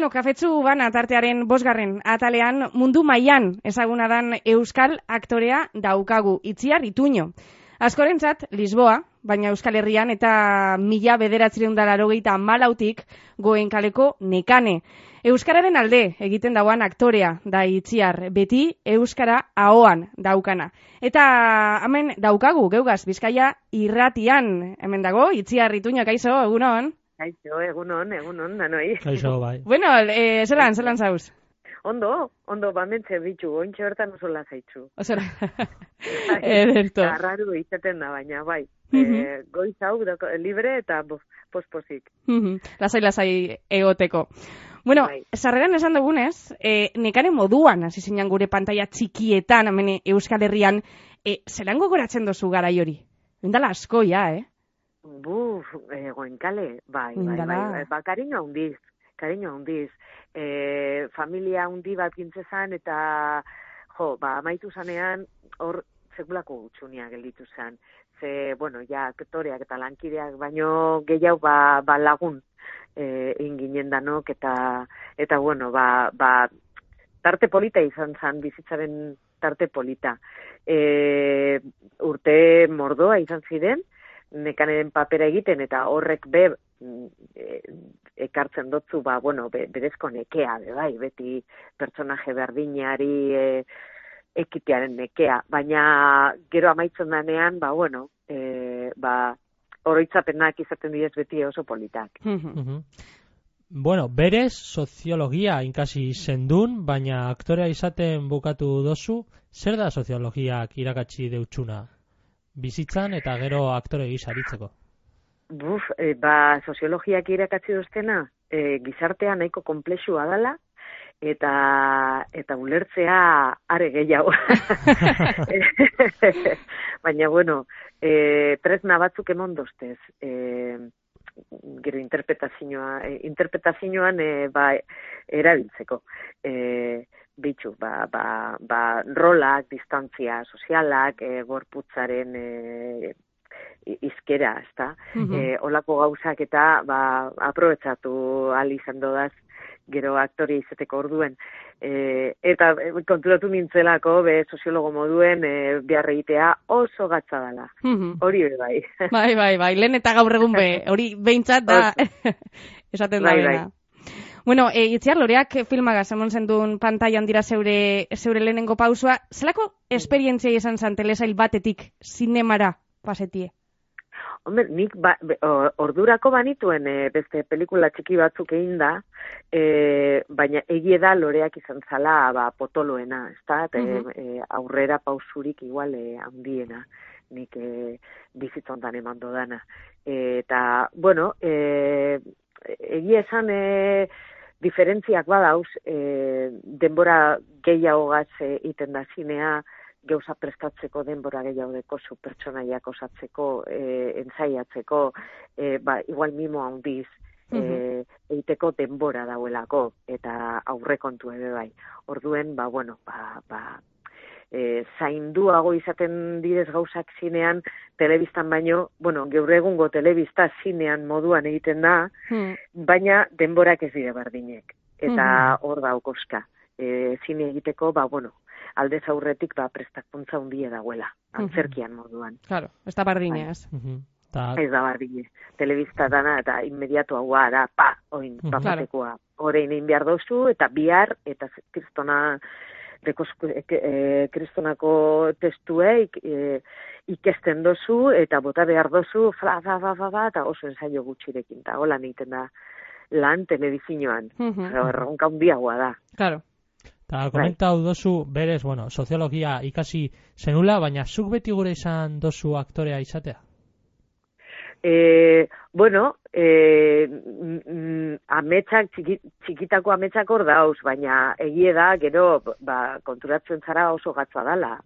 Kafetzu Bana tartearen 5. atalean mundu mailan ezaguna dan euskal aktorea daukagu, Itziar Ituño. Askorentzat Lisboa, baina Euskal Herrian eta 1984tik Goenkaleko Nekane. Euskararen alde egiten dauan aktorea da Itziar, beti euskara ahoan daukana. Eta hemen daukagu, geugaz, Bizkaia irratian, hemen dago, Itziar Ituño, kaixo, egunon? Kaixo, egunon, nanoi. Kaixo, bai. Bueno, zelan zauz? Ondo, bamentze bitxu, ointxe bertan oso lasaitzu. Osora, ederto. Arraru izaten da, baina, bai. Goiz hau, libre eta pospozik. Lasai egoteko. Bueno, bai. Sarreran esan dugunez, nekane moduan, hasi zinan gure pantalla txikietan, hemen Euskal Herrian, zelan gogoratzen dozu garai hori? Indala asko, ja, Goenkale, bai. Kariño handiz. Familia handi bat gintzezan eta, amaitu zanean, hor sekulako gutxunia gelditu zen. Aktoreak eta lankideak, baino gehiago lagun inginen danok eta tarte polita izan zen, bizitzaren tarte polita. Urte mordoa izan ziren, nekaneren papera egiten eta horrek ekartzen dotzu, berezko nekea, bai, beti pertsonaje berdinari ekitearen nekea, baina gero amaitzen danean, oroitzapenak izaten direz beti oso politak. Bueno, berez soziologia inkasi zendun, baina aktorea izaten bukatu dozu, zer da soziologiak irakatsi deutsuna? Bizitzan eta gero aktore gisa aritzeko. Soziologiak irakatsi doztena, gizartea nahiko komplexua dela, eta ulertzea are gehiago. Baina, tresna batzuk emon doztez. Gero interpretazioan erabiltzeko. Bitxu, rolak, distantzia sozialak, gorputzaren izkera, ezta? Olako gauzak eta aprobetxatu ahal izan dodaz gero aktore izateko orduen. Eta konturatu nintzelako, soziologo moduen, behar egitea oso gatza dela. Hori bai. Bai, lehen eta gaur egun hori behintzat da esaten da bena. Bueno, Itziar, loreak filmagaz emon zendun pantailan dira zeure lehenengo pausua. Zelako esperientzia izan zen telesail batetik zinemara pasetie? Hombre, nik ordurako banituen beste pelikula txiki batzuk egin da, baina egie da loreak izan zala potoloena, ezta? Aurrera pausurik igual handiena, nik bizitzontan eman dodana. Eta, egia esan diferentziak badauz, denbora gehiagogaz iten da zinea, gauza prestatzeko denbora gehiago dekozu, pertsonaiak osatzeko, entzaiatzeko, igual mimo handiz, egiteko denbora dauelako, eta aurrekontu ere bai. Orduen, zainduago izaten direz gauzak zinean, telebistan baino, gaur egungo telebista zinean moduan egiten da, baina denborak ez dire berdinek. Eta hor da okoska. Zine egiteko, aldez aurretik prestakuntza handia dagoela, antzerkian moduan. Claro, ez da bardine, ez? Ez da bardine. Telebista dana eta inmediatu haua da, patekoa. Horein egin behar dozu, eta bihar, eta kristonako testueik ikesten dozu, eta bota behar dozu, eta oso ensaio gutxirekin, eta hola egiten da lan telebizinoan. Erronka handiagoa da. Claro. Eta komentau dozu, berez, soziologia ikasi zenula, baina zuk beti gure izan dozu aktorea izatea? Ametsak, txikitako ametsak hor dauz, baina egie da, gero, konturatzen zara oso gatza dala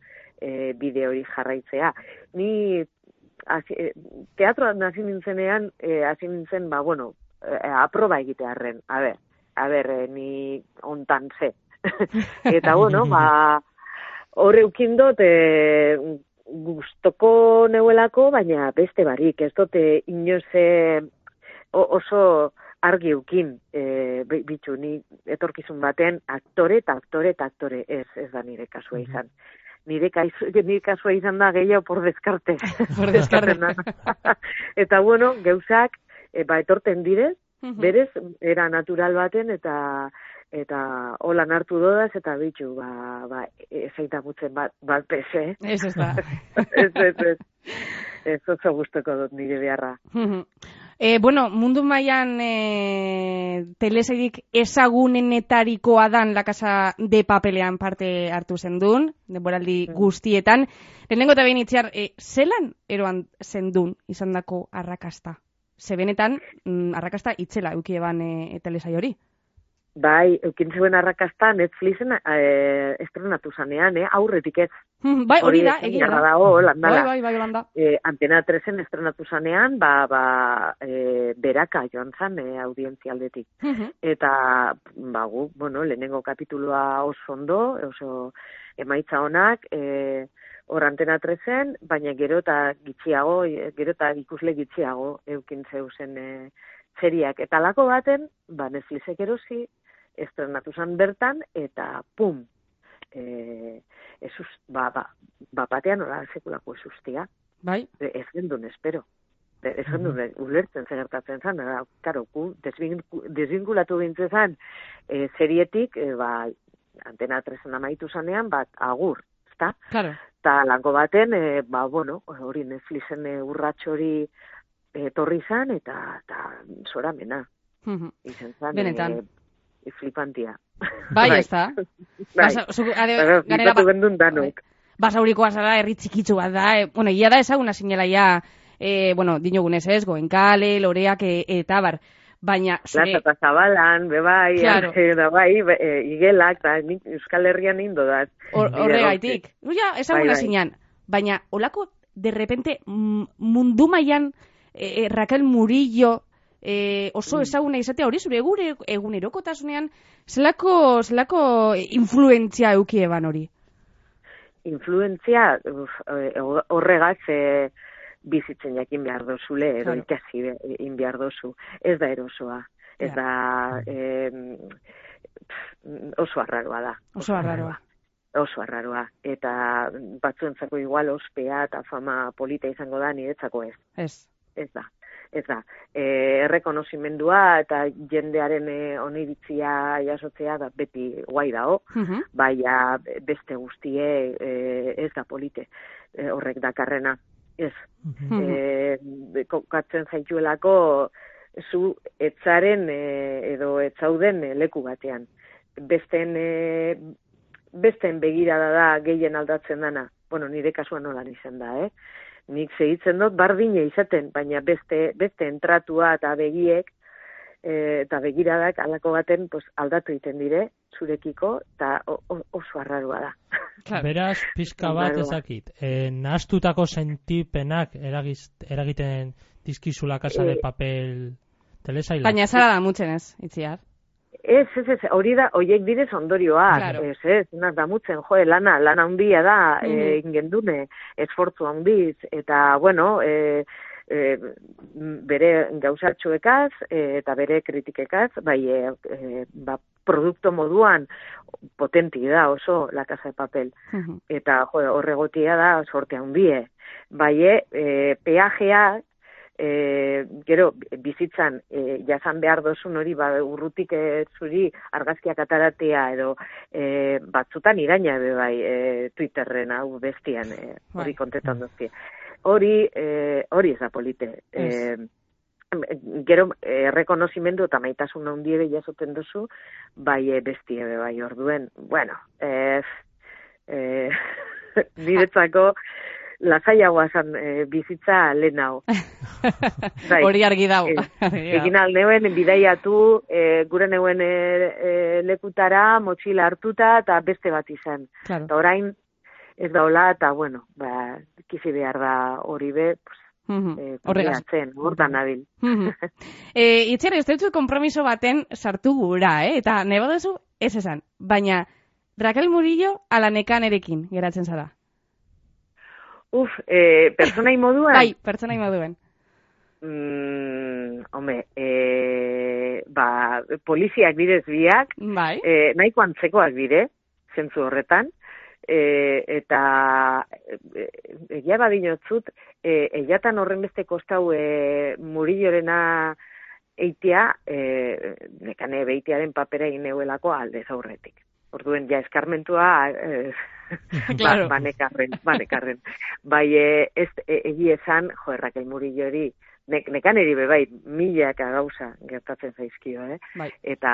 bide hori jarraitzea. Ni teatroan hasi nintzenean, aproba egitearren, a ber, ni ontan ze. Eta, hor eukindot gustoko neuelako, baina beste barik, ez dute inoz oso argi eukin, bitxu, ni etorkizun baten aktore eta aktore eta aktore, ez da nire kasua izan. Nire kasua izan da gehiago por descarte. Por descarte. Eta bueno, gauzak, etorten direz, berez, era natural baten, eta holan hartu dodaz, eta bitxu, ezaita mutzen bat pese. Ez da. Ez oso guztoko dut nire beharra. Bueno, mundu mailan telesairik ezagunenetarikoa dan La Casa de Papelean parte hartu zendun, denboraldi guztietan. Lehenengo eta behin itziar, zelan eroan zendun izandako arrakasta? Ze benetan, arrakasta itzela eukie ban telesai hori? Bai, eukin zuen arrakasta Netflixen estrenatu zanean, aurretik ez. Bai, hori da, egia da. Bai, Holanda. Antena 3en estrenatu zanean, beraka joan zan audientzialdetik. Eta, gu, lehenengo kapitulua oso ondo, oso emaitza honak, hor Antena 3en, baina gero eta ikusle gitxiago eukin zeuzen seriak. Eta lako baten, Netflixek erosi, estrenatu zan bertan, eta pum, batean hola sekulako esustia. Bai? Ez gendun, espero. Ez gendun, ulertzen zegertatzen zan, karo, desvinkulatu gintzen zan, serietik, Antena 3en amaitu zanean, agur, ezta? Claro. Eta lango baten, hori Netflixen urratxori etorri zan, eta zoramena. Izan zan, benetan. Flipantia. Bai, ez da. Flipatu gendun danok. Basaurikoa zara, herri txikitzu bat da. Ia da ezaguna zinela dinogunez ez, Goenkale, Loreak, eta bar. Baina, Plaza eta Zabalan, bebai, claro. Igelak, Euskal Herrian indo da. Horregaitik. Ezaguna zinean. Baina, holako, de repente, mundu mailan, Raquel Murillo, oso ezaguna izatea hori zure egunerokotasunean, zelako influentzia eukie ban hori? Influentzia horregaz bizitzen jakin behar dozule, edo ikasi in behar dozu. Ez da erosoa. Ez da oso arraroa da. Oso arraroa. Eta batzuentzako igual ospea eta fama polita izango da, niretzako ez. Ez da. Errekonozimendua eta jendearen oniritzia jasotzea da beti guai dao, baina beste guztie ez da polite horrek dakarrena. Ez. Kokatzen zaituelako zu etzaren edo etzauden leku batean. Besteen begirada da gehien aldatzen dana. Nire kasuan nolan izan da, Nik segitzen dut bardine izaten, baina beste entratua eta begiek eta begiradak alako baten aldatu egiten dire zurekiko, eta oso arrarua da. Beraz, pizka bat ezakit, nahastutako sentipenak eragiten dizkizula Casa de Papel telesaila. Baina zara da mutzen ez, itziar. Ez, hori da, horiek direz ondorioak, claro. Ez, da mutzen, lana handia da, ingendune, esfortzu handiz, eta, bere gauzatxoekaz, eta bere kritikekaz, produkto moduan potenti da oso La Casa de Papel, eta horregotia da sorte handie, peajea, gero bizitzan jasan behar dozun hori urrutik zuri argazkiak ataratea edo batzutan iraina Twitterren hau bestian hori kontetan dozkie. Hori ez da polite. Gero errekonozimendu eta maitasun handie jasoten duzu bestie orduen. Niretzako lasaiagoa zan bizitza lehen hau. Hori argi dau. Egin alneuen bidaiatu, gure neuen lekutara, motxila hartuta, eta beste bat izan. Claro. Eta orain ez da hola, eta kizi behar da hori hortan nabil. Itziar, ez dut kompromiso baten sartu gura, eta nebo duzu ez esan. Baina, Raquel Murillo ala nekanerekin geratzen zara. Pertsonai moduan? Bai, pertsonai moduan. poliziak direz biak, bai. nahiko antzekoak dire, zentzu horretan, eta egia badinotzut, eiatan horren beste kostau Murillorena eitea, nekane beitearen papera egin neuelako aldez aurretik. Orduen, ja, eskarmentua, claro. banekarren. Bai, egi esan, Raquel Murillo hori, nekan eri bai, milaka gauza gertatzen zaizkio, Bai. Eta,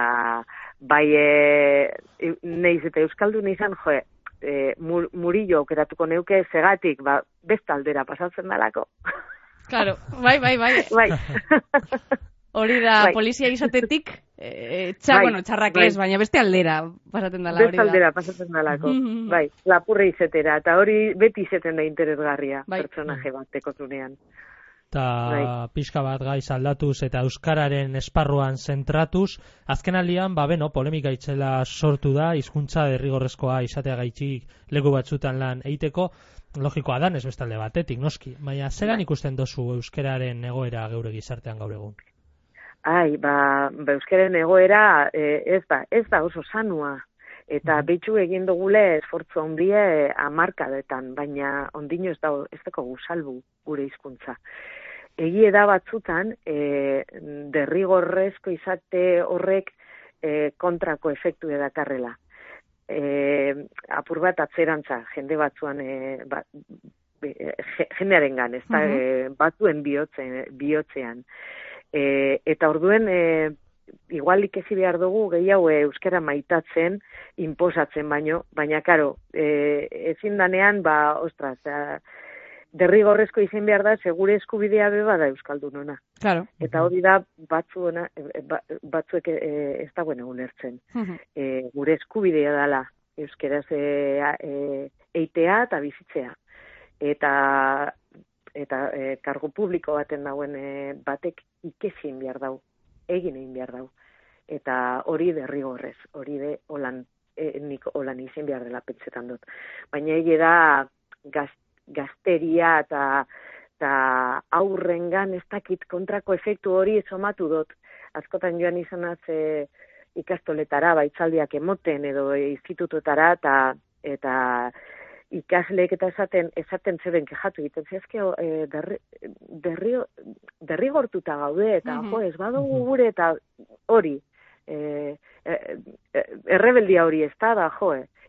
bai, neiz eta euskaldun izan, Murillo aukeratuko neuke segatik, bestaldera pasatzen dalako. Claro, bai. Bai. Hori da, bai. polizia izatetik, txarrak ez, baina beste aldera pasatzen dela hori da. Beste aldera pasatzen dalako, bai, lapurre izetera, eta hori beti izeten da interesgarria, pertsonaje bat tekotunean. Eta pixka bat gaiz aldatuz eta euskararen esparruan zentratuz, azkenaldian, polemika itzela sortu da, hizkuntza derrigorrezkoa izateagaitik leku batzutan lan eiteko, logikoa dan ez bestalde batetik, noski, baina zelan ikusten dozu euskararen egoera geure gizartean gaur egun? Euskararen egoera ez da oso sanua, eta behitxu egin dugule esfortzu handie hamarkadetan, baina ondino ez dago salbu gure hizkuntza. Egie da batzutan, derrigorrezko izate horrek kontrako efektu edakarrela. Apur bat atzerantza, jende batzuan, jendearengan, ez da, batzuen bihotzean. Eta orduen, igual ikezi behar dugu gehiago euskara maitatzen, inposatzen baina karo, ezin danean, derrigorrezko izen behar da, segure eskubidea beba da euskaldunona. Claro. Eta hori da batzuek ez dagoen ulertzen. Gure eskubidea dela euskaraz eitea eta bizitzea. Eta kargu publiko baten dauen batek ikesin behar dau, egin egin behar dau. Eta hori derrigorrez, hori de nik holan izen behar dela pentsetan dut. Baina egi da gazteria eta aurrengan ez dakit kontrako efektu hori somatu dut. Askotan joan izanaz ikastoletara, baitzaldiak emoten edo institutotara eta ikasleek eta esaten zeben kejatu egiten zezkeo derrigortuta gaude eta ez badugu gure eta hori errebeldia hori ez da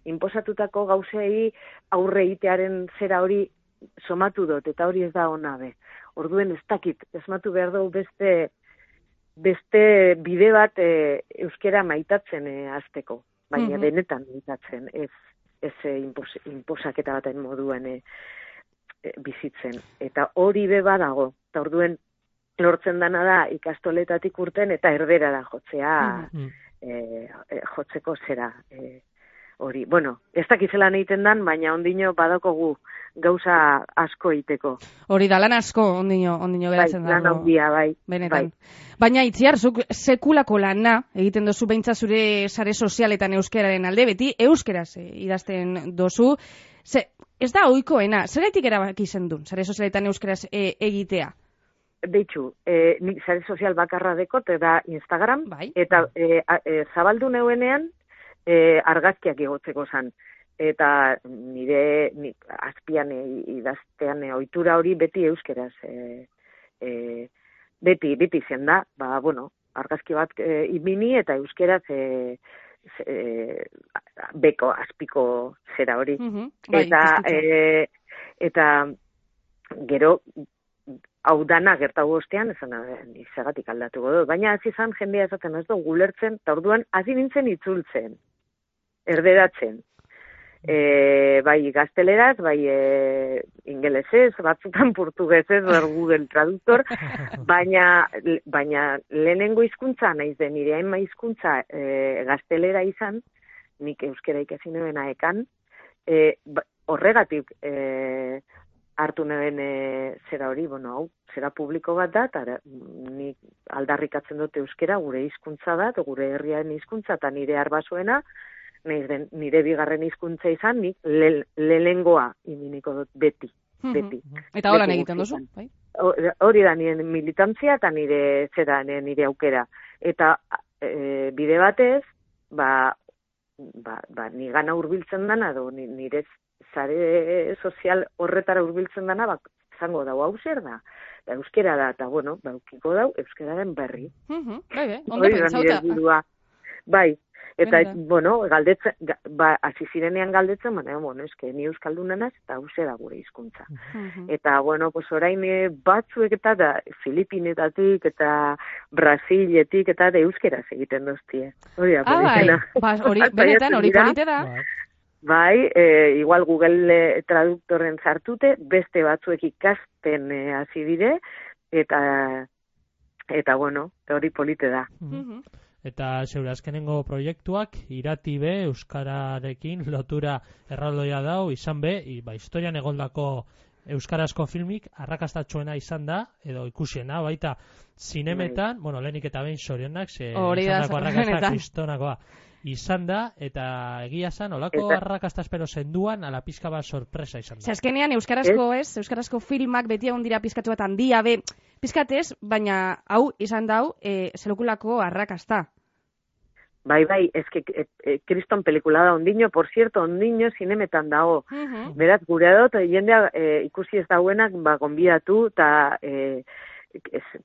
inposatutako gauzei aurre egitearen zera hori somatu dut eta hori ez da ona be. Orduen ez dakit, esmatu behar dugu beste bide bat euskera maitatzen hasteko, baina benetan maitatzen, ez inposaketa baten moduan bizitzen. Eta hori be badago, eta orduen lortzen dana da ikastoletatik urten eta erderara jotzea, jotzeko zera hori. Bueno, ez dakizelan egiten dan, baina ondino badakogu gauza asko egiteko. Hori da, lan asko ondino geratzen dago. Lan handia, bai. Benetan. Baina itziar, zuk sekulako lana egiten dozu beintza zure sare sozialetan euskararen alde, beti euskeraz idazten dozu. Ez da ohikoena, zergatik erabaki zendun, sare sozialetan euskeraz egitea? Beitxu, nik sare sozial bakarra dekot, eta Instagram, eta zabaldu neuenean, argazkiak igotzeko zan. Eta nire azpian idaztean ohitura hori beti euskeraz. Beti zen da, argazki bat ibini eta euskeraz beko, azpiko zera hori. Eta gero, hau dana gertago ostean, izagatik aldatuko dut. Baina hasi izan jendea esaten ez dugu gulertzen, eta orduan hasi nintzen itzultzen, erderatzen. Bai gazteleraz, bai ingelesez, batzutan portugesez, Google Traductor, baina lehenengo hizkuntza naiz den nire hainma hizkuntza gaztelera izan, nik euskera ikasi nebena ekan, horregatik hartu neben zera hori, zera publiko bat da, eta nik aldarrikatzen dut euskera gure hizkuntza da, gure herriaren hizkuntza, eta nire arbasoena, nire bigarren hizkuntza izan, nik lehengoa iminiko dut beti. Eta holan egiten duzu, bai? hori da nire militantzia eta nire aukera. Eta bide batez, ni gana hurbiltzen dana, edo nire sare sozial horretara hurbiltzen dana, zango dau hau zer da. Euskera da, eta bueno, ukiko dau, euskeraren berri. Ondo pentsauta. Bai, eta, bueno, galdetzen, hasi zirenean galdetzen, baina, bueno, eske, ni euskaldunanaz, eta hause da gure hizkuntza. Eta, bueno, pues orain batzuek eta da, Filipinetatik eta Brasiletik eta da euskeraz egiten doztie. Hori da, hori benetan, hori polite da. Bai, igual Google traduktoren zartute, beste batzuek ikasten hasi dire, eta bueno, hori polite da. Eta zeure azkenengo proiektuak irati be euskararekin lotura erraldoia dau izan be, historian egondako euskarazko filmik arrakastatxoena izan da, edo ikusiena, baita zinemetan, bueno, lehenik eta behin sorionak, izandako arrakasta kristonakoa izan da, eta egia zan, olako arrakasta espero zenduan, ala pizka bat sorpresa izan da. Azkenean, euskarazko filmak beti egon dira pizkatu bat handia, pizkatez, baina hau izan dau, zelokulako arrakasta. Bai, eske kriston pelikula da ondino, por cierto, ondino zinemetan dago. Beraz, gure dut, jendea ikusi ez dauenak, gonbidatu, eta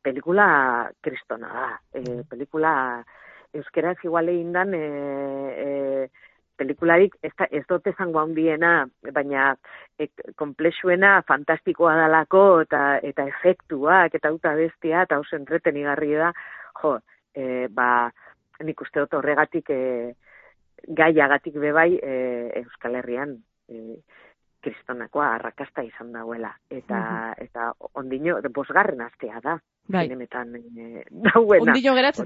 pelikula kristona da. Pelikula euskeraz igual egin dan pelikularik ez dut ezango handiena, baina komplexuena fantastikoa dalako eta efektuak eta uta bestia eta oso entretenigarri da, nik uste dut horregatik gaiagatik bebai Euskal Herrian kristonakoa arrakasta izan dauela. Eta ondino, bosgarren astea da. Zinemetan dauena. Ondino geratzen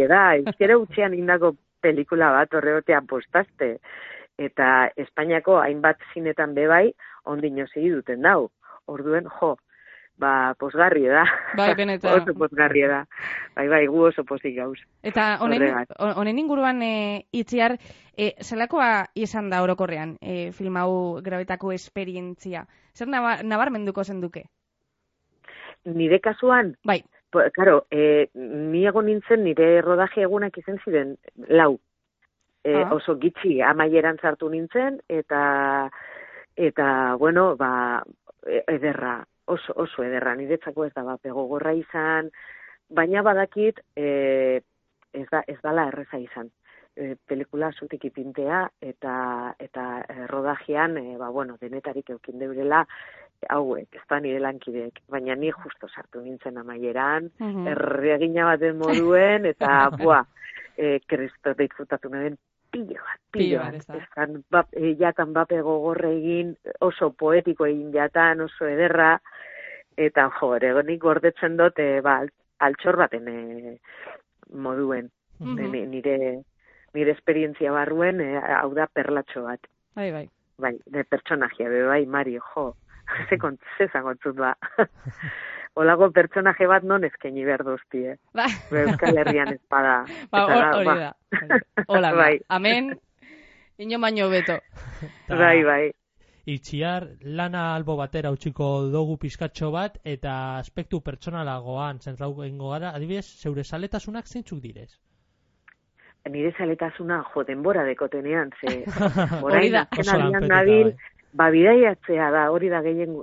da. Euskera utxean indako pelikula bat horreotean postaste. Eta Espainiako hainbat zinetan bebai ondino segi duten dau. Orduen, posgarri da. Bai, benetan. Oso posgarri da. Bai, gu oso posik gauz. Eta honen inguruan itziar, zelakoa izan da orokorrean film hau grabetako esperientzia? Zer nabarmenduko zenduke? Nire kasuan? Bai. Claro, ni egon nintzen nire rodaje egunak izan ziren 4. Oso gitxi amaieran sartu nintzen, eta bueno, ederra. Oso ederra, niretzako ez da gogorra izan, baina badakit ez dala erreza izan. Pelikula zutik ipintea eta rodajean, denetarik eukin deurela hauek, ez da nire lankideek, baina ni justo sartu nintzen amaieran, erregina baten moduen, eta kristo disfrutatu nahen pilo bat. Jatan bape gogorre egin, oso poetiko egin jatan, oso ederra, eta nik gordetzen dut, altxor baten moduen, nire esperientzia barruen, hau da perlatxo bat. Bai. Bai, pertsonajia, Mario, ze zangotzut ba. Olago pertsonaje bat non ezkeni behar dozti, Euskal Herrian espada. Hori da. Hola, amen, ino baino beto. Bai. Itziar, lana albo batera utziko dugu pizkatxo bat, eta aspektu pertsonalagoan zentrau gengo gara, adibidez, zeure zaletasunak zeintzuk direz? Nire zaletasuna, denbora dekotenean, orain azken nabil, bidaiatzea da, hori da gehien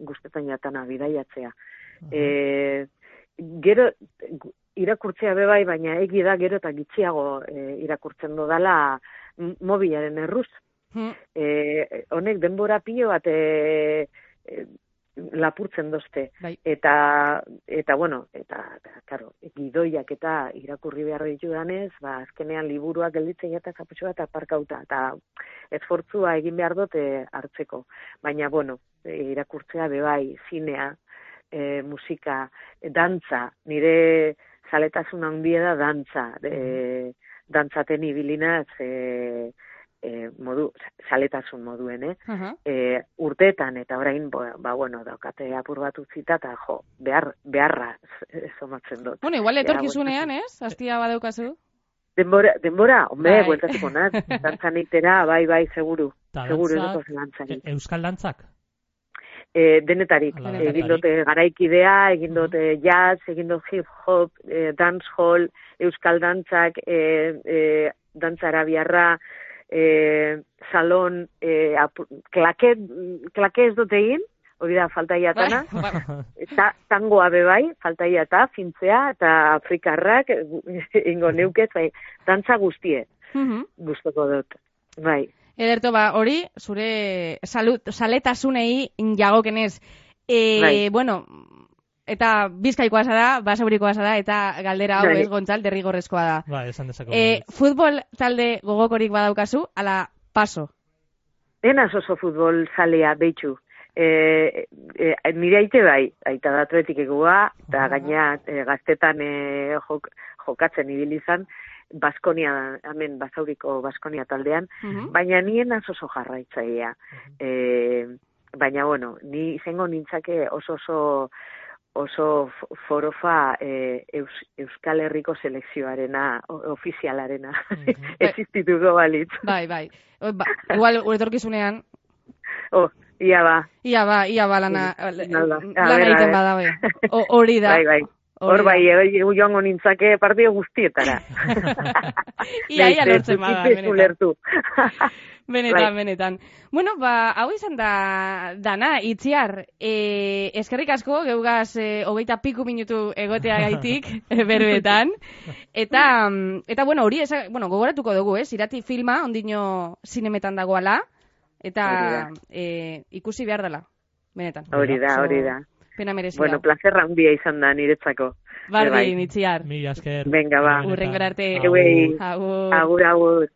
guztetan jatana, bidaiatzea. Gero, irakurtzea bebai, baina egi da gero eta gitxiago irakurtzen dodala mobilaren erruz. Honek denbora pilo bat lapurtzen dozte. Eta karo, gidoiak eta irakurri behar ditudanez, azkenean liburuak gelditzen jata zaputxo bat aparkauta, eta esfortzua egin behar dute hartzeko. Baina, irakurtzea bebai, zinea, musika, dantza, nire zaletasun handia da dantza, dantzaten ibilinaz, saletasun moduen, urteetan, eta orain, daukate apur bat utzita, eta beharra somatzen dut. Igual etorkizunean, Aztia badaukazu? Denbora, bueltatuko naz, dantzan itera, bai, seguru. Euskal dantzak? denetarik. Egin dute garaikidea, egin dute jazz, egin dute hip-hop, dancehall, euskal dantzak, dantza arabiarra, salon, klake ez dute egin, hori da faltaiatana, tangoa bebai, faltaiata, fintzea, eta afrikarrak, ingo neukez, bai, dantza guztie, guztoko dut, bai. Ederto, hori, zure saletasunei jagokenez. Bueno, eta bizkaikoa zara, basaurikoa zara, eta galdera hau ez Gontzal, derrigorrezkoa da. Ba, esan dezako. Futbol talde gogokorik badaukazu, ala paso? Enaz oso futbol zalea, behitxu. Nire aite bai, aita da atletik egoa, eta gaina gaztetan jokatzen ibilizan, Baskonia, hemen Basauriko Baskonia taldean, baina nien oso jarraitzaia. Baina, bueno, ni izango nintzake oso forofa Euskal Herriko selekzioarena, ofizialarena. Existituko balitz. Bai. Igual, etorkizunean. Ia ba lana egiten badabe. Hori da. Bai. Hor bai, joango nintzake partio guztietara. Ia lortzen bada, benetan. Bueno, hau izan da dana, Itziar. Eskerrik asko, geugaz 20 minutu egotea gaitik, berbetan. Eta bueno, hori, gogoratuko dugu, irati filma, ondino zinemetan dagoala, eta ikusi behar dela, benetan. Hori da. Pena merezia. Bueno, plazerra handia izan da niretzako. Bardin, Itziar. Mila esker. Venga, ba. Urrengor arte. Agur.